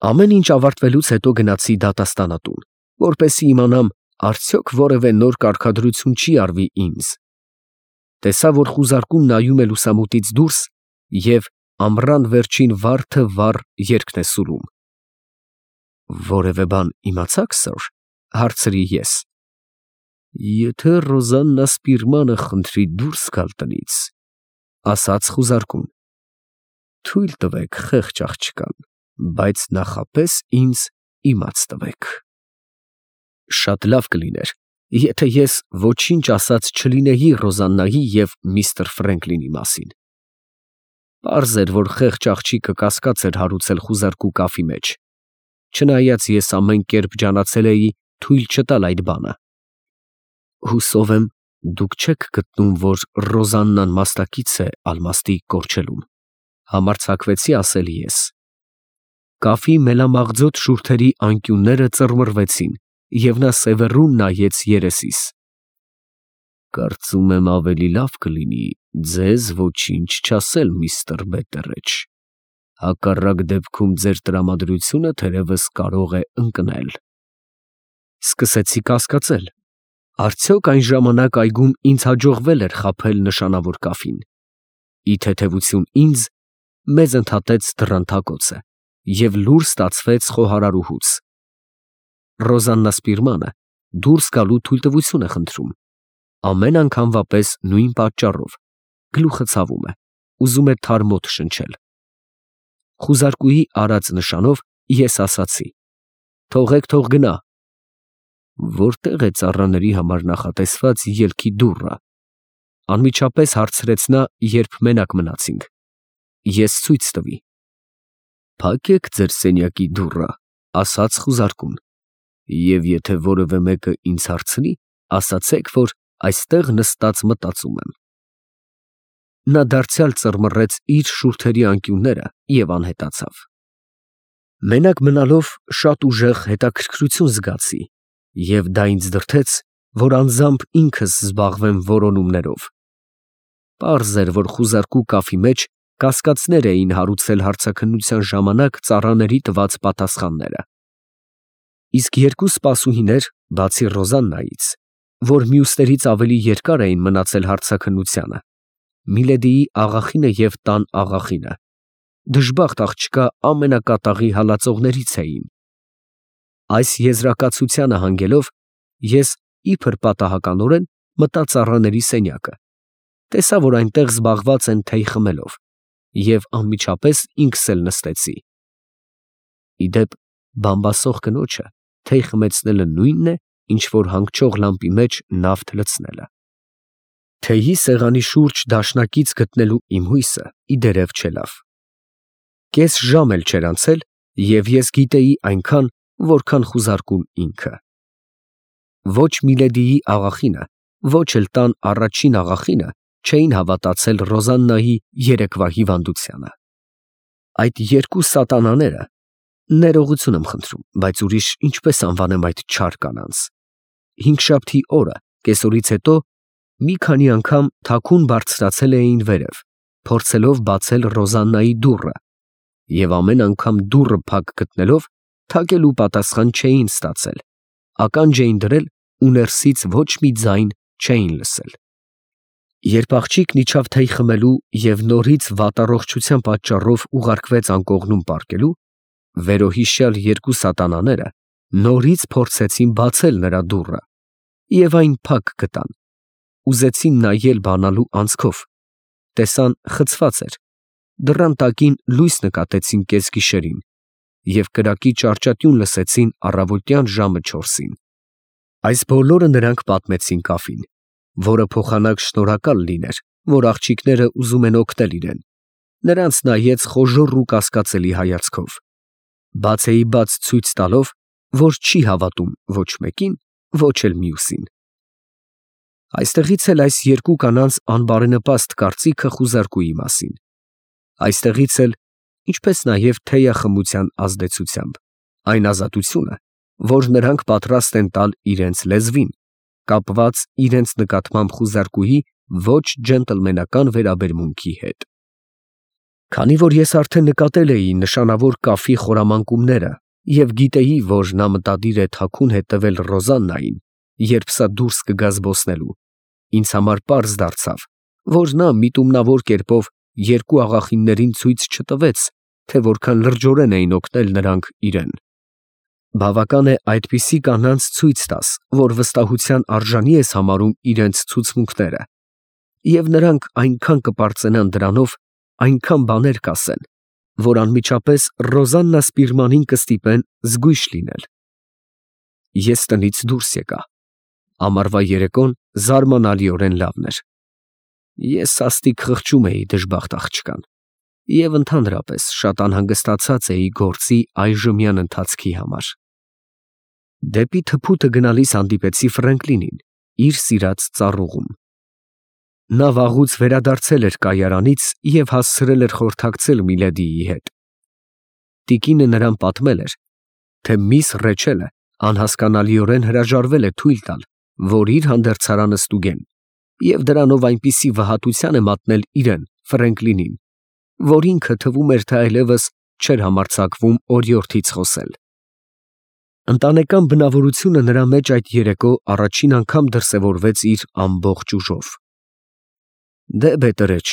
Ամեն ինչ ավարտվելուց հետո գնացի դատաստանատուն, որպեսզի իմանամ, արդյոք որևէ նոր կարգադրություն չի արվի ինձ։ Տեսա, որ խուզարկուն նայում է լուսամուտից դուրս և ամռան վերջին վարդը վառ երգն է սուրում։ «Որևէ բան իմացա՞ք, սըր», հարցրի ես։ «Եթե Ռոզաննա Սպիրմանը խնդրի դուրս գալ տնից», ասաց խուզարկուն, «թույլ տվեք խեղճ աղջկան, բայց նախապես ինձ իմաց տվեք»։ Շատ լավ կլիներ, եթե ես ոչինչ ասած չլինեի Ռոզաննայի և միստր Ֆրենկլինի մասին։ Պարզ էր, որ խեղճ աղջիկը կասկած էր հարուցել խուզարկու կավի մեջ, չնայած ես ամեն կերպ ջանացել էի թույլ չտալ այդ բանը։ Հուսով եմ, դուք չեք գտնում, որ Ռոզաննան մասնակից է ալմաստի կորչելուն, համարձակվեցի ասել ես։ Կավի մելամաղձոտ շուրթերի անկյունները ծռմռվեցին, և նա սևեռուն նայեց երեսիս։ «Կարծում եմ ավելի լավ կլինի ձեզ ոչինչ չասել, միստր Բետտերեջ, հակառակ դեպքում ձեր տրամադրությունը թերևս կարող է ընկնել»։ Սկսեցի կասկածել, արդյոք այն ժամանակ այգում ինձ հաջողվել էր խաբել նշանավոր կավին։ Ի թեթևություն ինձ, մեզ ընդհատեց դռան թակոցը, և լուր ստացվեց խոհարարուհուց։ Ռոզաննա Սպիրմանը դուրս գալու թույլտվություն է խնդրում, ամեն անգամվա պես նույն պատճառով, գլուխը ցավում է, ուզում է թարմոտ շնչել։ Խուզարկուի արած նշանով ես ասացի. «Թողեք, թող գնա»։ «Որտե՞ղ է ծառաների համար նախատեսված ելքի դուռը», անմիջապես հարցրեց նա, երբ մենակ մնացինք։ Ես ցույց տվի։ «Փակեք ձեր սենյակի դուռը», ասաց խուզարկուն, «և եթե որևէ մեկը ինձ հարցնի, ասացեք, որ այստեղ նստած մտածում եմ»։ Նա դարձյալ ծռմռեց իր շուրթերի անկյունները և անհետացավ։ Մենակ մնալով շատ ուժեղ հետաքրքրություն զգացի, և դա ինձ դրդեց, որ անձամբ ինքս զբաղվեմ որոնումներով։ Պարզ էր, որ խուզարկու կավի մեջ կասկածներ էին հարուցել հարցաքննության ժամանակ ծառաների տված պատասխանները։ Իսկ երկու սպասուհիներ, բացի Ռոզաննայից, որ մյուսներից ավելի երկար էին մնացել հարցաքննությանը, Միլեդիի աղախինը և տան աղախինը, դժբախտ աղջկա ամենակատաղի հալածողներից էին։ Այս եզրակացությանը հանգելով, ես իբր պատահականորեն մտա ծառաների սենյակը, տեսա, որ այնտեղ զբաղված են թեյ խմելով, և անմիջապես ինքս էլ նստեցի։ Ի դեպ, բամբասող կնոջը թեյ խմեցնելը նույնն է, ինչ որ հանգչող լամպի մեջ նավթ լցնելը։ Թեյի սեղանի շուրջ դաշնակից գտնելու իմ հույսը ի դերև չելավ։ Կես ժամ էլ չէր անցել, և ես գիտեի այնքան, որքան խուզարկուն ինքը։ Ոչ Միլեդիի աղախինը, ոչ էլ տան առաջին աղախինը չէին հավատացել Ռոզաննայի երեկվա հիվանդությանը։ Այդ երկու սատանաները, ներողություն եմ խնդրում, բայց ուրիշ ինչպես անվանեմ այդ չար կանանց, հինգշաբթի օրը կեսօրից հետո մի քանի անգամ թաքուն բարձրացել էին վերև, փորձելով բացել Ռոզաննայի դուռը, և ամեն անգամ դուռը փակ գտնելով, թակելու պատասխան չէին ստացել, ականջ էին դրել ու ներսից ոչ մի ձայն չէին լսել։ Երբ աղջիկն իջավ թեյ խմելու և նորից վատառողջության պատճառով ուղարկվեց անկողնում պառկելու, վերոհիշյալ երկու սատանաները նորից փորձեցին բացել նրա դուռը, և այն փակ գտան, ուզեցին նայել բանալու անցքով, տեսան խցված էր, դռան տակին լույս նկատեցին կեսգիշերին և կրակի ճարճատյուն լսեցին առավոտյան ժամը 4-ին։ Այս բոլորը նրանք պատմեցին կավին, որը փոխանակ շնորհակալ լիներ, որ աղջիկները ուզում են օգնել իրեն, նրանց նայեց խոժոռ ու կասկածելի հայացքով, բացեիբաց ցույց տալով, որ չի հավատում ոչ մեկին, ոչ էլ մյուսին։ Այստեղից էլ այս երկու կանանց անբարենպաստ կարծիքը խուզարկուի մասին, այստեղից էլ, ինչպես նաև թեյախմության ազդեցությամբ, այն ազատությունը, որ նրանք պատրաստ են տալ իրենց լեզվին, կապված իրենց նկատմամբ խուզարկուի ոչ ջենտլմենական վերաբերմունքի հետ։ Քանի որ ես արդեն նկատել էի նշանավոր կաֆի խորամանկումները և գիտեի, որ նա մտադիր է թաքուն հետևել Ռոզաննային, երբ սա դուրս կգա զբոսնելու, ինձ համար պարզ դարձավ, որ նա միտումնավոր կերպով երկու աղախիններին ցույց չտվեց, թե որքան լրջորեն էին օգնել նրանք իրեն։ Բավական է այդպիսի կանանց ցույց տաս, որ վստահության արժանի ես համարում իրենց ցուցմունքները, և նրանք այնքան կպարծենան դրանով, այնքան բաներ կասեն, որ անմիջապես Ռոզաննա Սպիրմանին կստիպեն զգույշ լինել։ Ես տնից դուրս եկա։ Ամառվա երեկոն զարմանալիորեն լավն էր։ Ես սաստիկ խղճում էի դժբախտ աղջկան և ընդհանրապես շատ անհանգստացած էի գործի այժմյան ընթացքի համար։ Դեպի թփուտը գնալիս հանդիպեցի Ֆրենկլինին իր սիրած ծառուղում։ Նա վաղուց վերադարձել էր կայարանից և հասցրել էր խորհրդակցել Միլեդիի հետ։ Տիկինը նրան պատմել էր, թե միս Ռեչելը անհասկանալիորեն հրաժարվել է թույլ տալ, որ իր հանդերձարանը ստուգեն, և դրանով այնպիսի վհատության է մատնել իրեն, Ֆրենկլինին, որ ինքը թվում էր, թե այլևս չէր համարձակվում օրիորդից խոսել։ Ընտանեկան բնավորությունը նրա մեջ այդ երեկո առաջին անգամ դրսևորվեց իր ամբողջ ուժով։ «Դե բետերեչ»,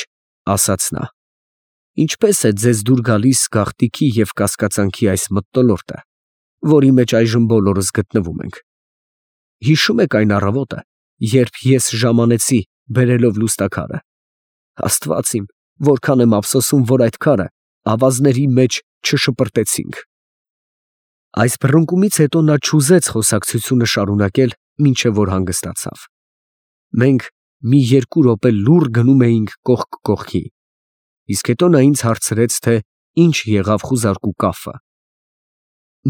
ասաց նա, «ինչպես է ձեզ դուր գալիս գաղտիքի և կասկածանքի այս մթնոլորտը, որի մեջ այժմ բոլորս գտնվում ենք։ Հիշո՞ւմ եք այն առավոտը, երբ ես ժամանեցի բերելով լուստաքարը։ Աստված իմ, որքան եմ ափսոսում, որ այդ քարը ավազների մեջ չշպրտեցինք»։ Այս բռնկումից հետո նա չուզեց խոսակցությունը շարունակել, մինչև որ հանգստացավ։ Մենք մի 2 րոպե լուռ գնում էինք կողք կողքի, իսկ հետո նա ինձ հարցրեց, թե ինչ եղավ խուզարկու կաֆը։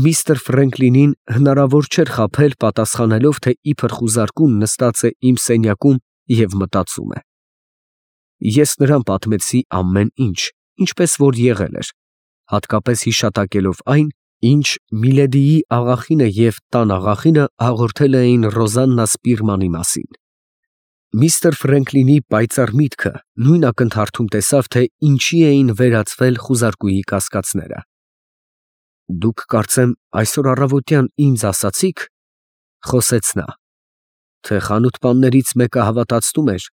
Միստր Ֆրենկլինին հնարավոր չէր խաբել, պատասխանելով, թե իբր խուզարկուն նստած է իմ սենյակում և մտածում է։ Ես նրան պատմեցի ամեն ինչ, ինչպես որ եղել էր, հատկապես հիշատակելով այն, ինչ Միլեդիի աղախինը և տան աղախինը հաղորդել էին Ռոզաննա Սպիրմանի մասին։ Միստր Ֆրենկլինի պայծառ միտքը նույն ակնթարթում տեսավ, թե ինչի էին վերածվել խուզարկուի կասկածները։ «Դուք կարծեմ այսօր առավոտյան ինձ ասացիք, ֊ խոսեց նա, ֊ թե խանութպաններից մեկը հավատացնում էր,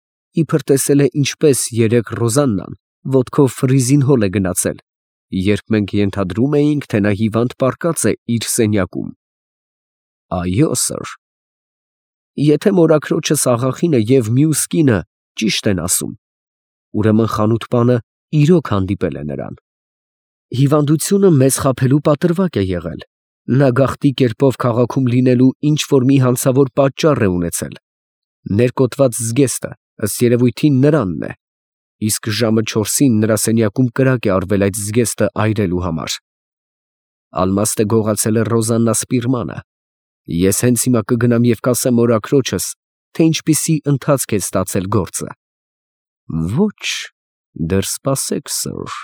իբր տեսել է ինչպես երեկ Ռոզաննան ոտքով ֆրիզին հոլ է գնացել, երբ մենք ենթադրում էինք, թե նա հիվանդ պառկած է իր սենյակում»։ «Այո, սըր»։ «Եթե մորաքրոջս աղախինը և մյուս կինը ճիշտ են ասում, ուրեմն խանութպանը իրոք հանդիպել է նրան։ Հիվանդությունը մեզ խաբելու պատրվակ է եղել, նա գաղտի կերպով քաղաքում լինելու ինչ֊որ մի հանցավոր պատճառ է ունեցել, ներկոտված զգեստը ըստ երևույթին նրանն է, իսկ ժամը 4-ին նրա սենյակում կրակ է արվել այդ զգեստը այրելու համար։ Ալմաստը գողացել է Ռոզաննա Սպիրմանը։ Ես հենց հիմա կգնամ և կասեմ մորաքրոջս, թե ինչպիսի ընթացք է ստացել գործը»։ «Ոչ, դեռ սպասեք, սըր»,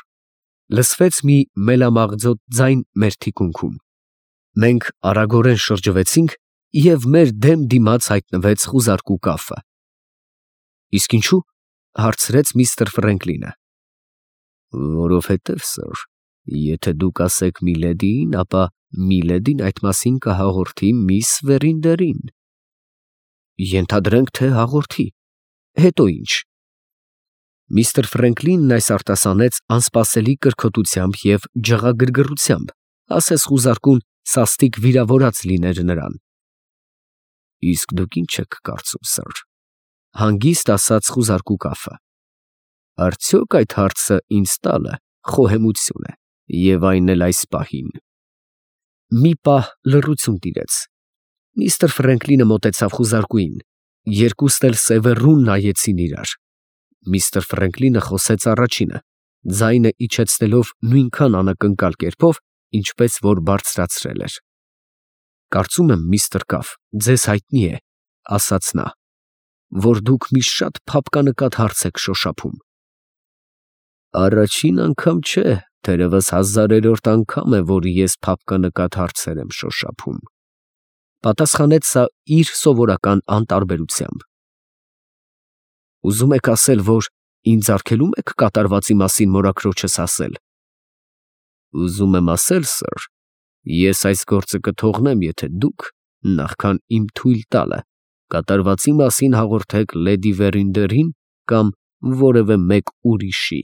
լսվեց մի մելամաղձոտ ձայն մեր թիկունքում։ Մենք արագորեն շրջվեցինք, և մեր դեմ դիմաց հայտնվեց խուզարկու կաֆը։ «Իսկ ինչու՞, հարցրեց միստր Ֆրենկլինը։ «Որովհետև, սըր, եթե դուք ասեք Միլեդիին, ապա Միլեդին այդ մասին կհաղորդի միս Վերինդերին»։ «Ենթադրենք, թե հաղորդի, հետո ի՞նչ»։ Միստր Ֆրենկլինն այս արտասանեց անսպասելի կրքոտությամբ և ջղագրգռությամբ, ասես խուզարկուն սաստիկ վիրավորած լիներ նրան։ «Իսկ դուք ի՞նչ եք կարծում, սըր», հանգիստ ասաց խուզարկու կաֆը։ «Արդյոք այդ հարցը ինձ տալը խոհեմություն է, և այն էլ այս պահին»։ Մի պահ լռություն տիրեց։ Միստր Ֆրենկլինը մոտեցավ խուզարկուին, երկուստ էլ սևեռուն նայեցին իրար։ Միստր Ֆրենկլինը խոսեց առաջինը, ձայնը իջեցնելով նույնքան անակնկալ կերպով, ինչպես որ բարձրացրել էր։ «Կարծում եմ, միստր Կաֆ, ձեզ հայտնի է, ֊ ասաց նա, ֊ որ դուք մի շատ փափկանկատ հարց եք շոշափում»։ «Առաջին անգամ չէ, թերևս 1000-րդ անգամ է, որ ես փափկանկատ հարցեր եմ շոշափում», պատասխանեց սա իր սովորական անտարբերությամբ։ «Ուզում եք ասել, որ ինձ արգելում եք կատարվածի մասին մորաքրոջս ասել։ Ուզում եմ ասել, սըր, ես այս գործը կթողնեմ, եթե դուք, նախքան իմ թույլ տալը, կատարվածի մասին հաղորդեք լեդի Վերինդերին կամ որևէ մեկ ուրիշի։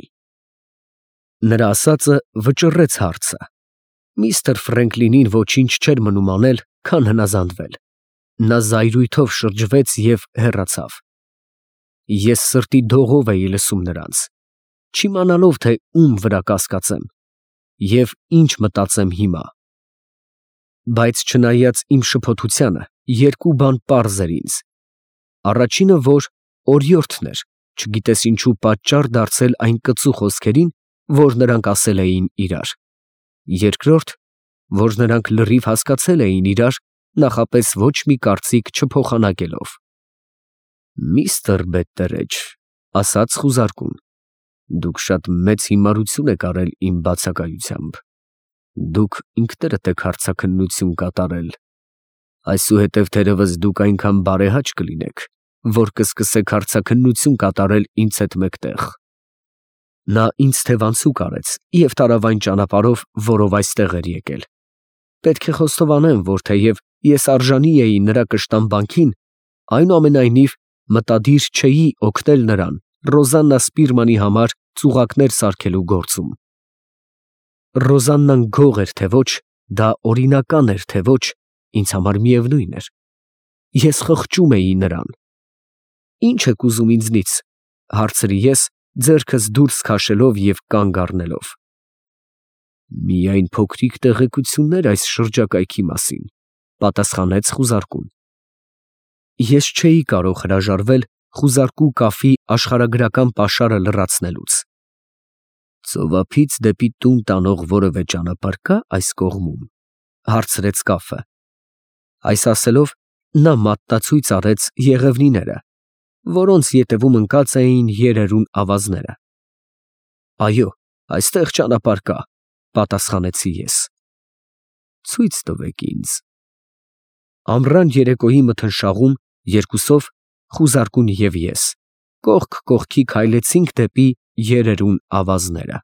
Նրա ասածը վճռեց հարցը։ Միստր Ֆրենկլինին ոչինչ չէր մնում անել, քան հնազանդվել։ Նա զայրույթով շրջվեց և հեռացավ։ Ես սրտի դողով էի լսում նրանց, չիմանալով, թե ում վրա կասկածեմ և ինչ մտածեմ հիմա։ Բայց չնայած իմ շփոթությանը, երկու բան պարզ էր ինձ. առաջինը, որ օրիորդն էր, չգիտես ինչու պատճառ դարձել այն կծու խոսքերին, որ նրանք ասել էին իրար. երկրորդ, որ նրանք լրիվ հասկացել էին իրար, նախապես ոչ մի կարծիք չփոխանակելով։ Միստր Բետտերեջ, ասաց խուզարկուն, դուք շատ մեծ հիմարություն եք արել իմ բացակայությամբ։ Դուք ինքներդ եք հարցաքննություն կատարել։ Այսուհետև թերևս դուք այնքան բարեհաճ կլինեք, որ կսկսեք հարցաքննություն կատարել ինձ հետ մեկտեղ։ Նա ինձ թևանցուկ արեց և տարավ այն ճանապարհով, որով այստեղ էր եկել։ Պետք է խոստովանեմ, որ թեև ես արժանի էի նրա կշտամբանքին, այնուամենայնիվ մտադիր չէի օգնել նրան Ռոզաննա Սպիրմանի համար ծուղակներ սարքելու գործում։ Ռոզաննան գող էր, թե ոչ, դա օրինական էր, թե ոչ, ինձ համար միևնույն էր։ Ես խղճում էի նրան։ Ի՞նչ եք ուզում ինձնից, հարցրի ես, ձեռքս դուրս քաշելով և կանգ առնելով։ Միայն փոքրիկ տեղեկություններ այս շրջակայքի մասին, պատասխանեց խուզարկուն։ Ես չէի կարող հրաժարվել խուզարկու կաֆի աշխարհագրական պաշարը լրացնելուց։ Ծովափից դեպի տուն տանող որևէ ճանապարհ կա այս կողմում, հարցրեց կաֆը։ Այս ասելով նա մատնացույց արեց եղևնիները, որոնց ետևում ընկած էին երերուն ավազները։ Այո, այստեղ ճանապարհ կա, պատասխանեցի ես։ Ցույց տվեք ինձ։ Ամռան երեկոյի մթնշաղում երկուսով, խուզարկուն և ես, կողք կողքի քայլեցինք դեպի երերուն ավազները։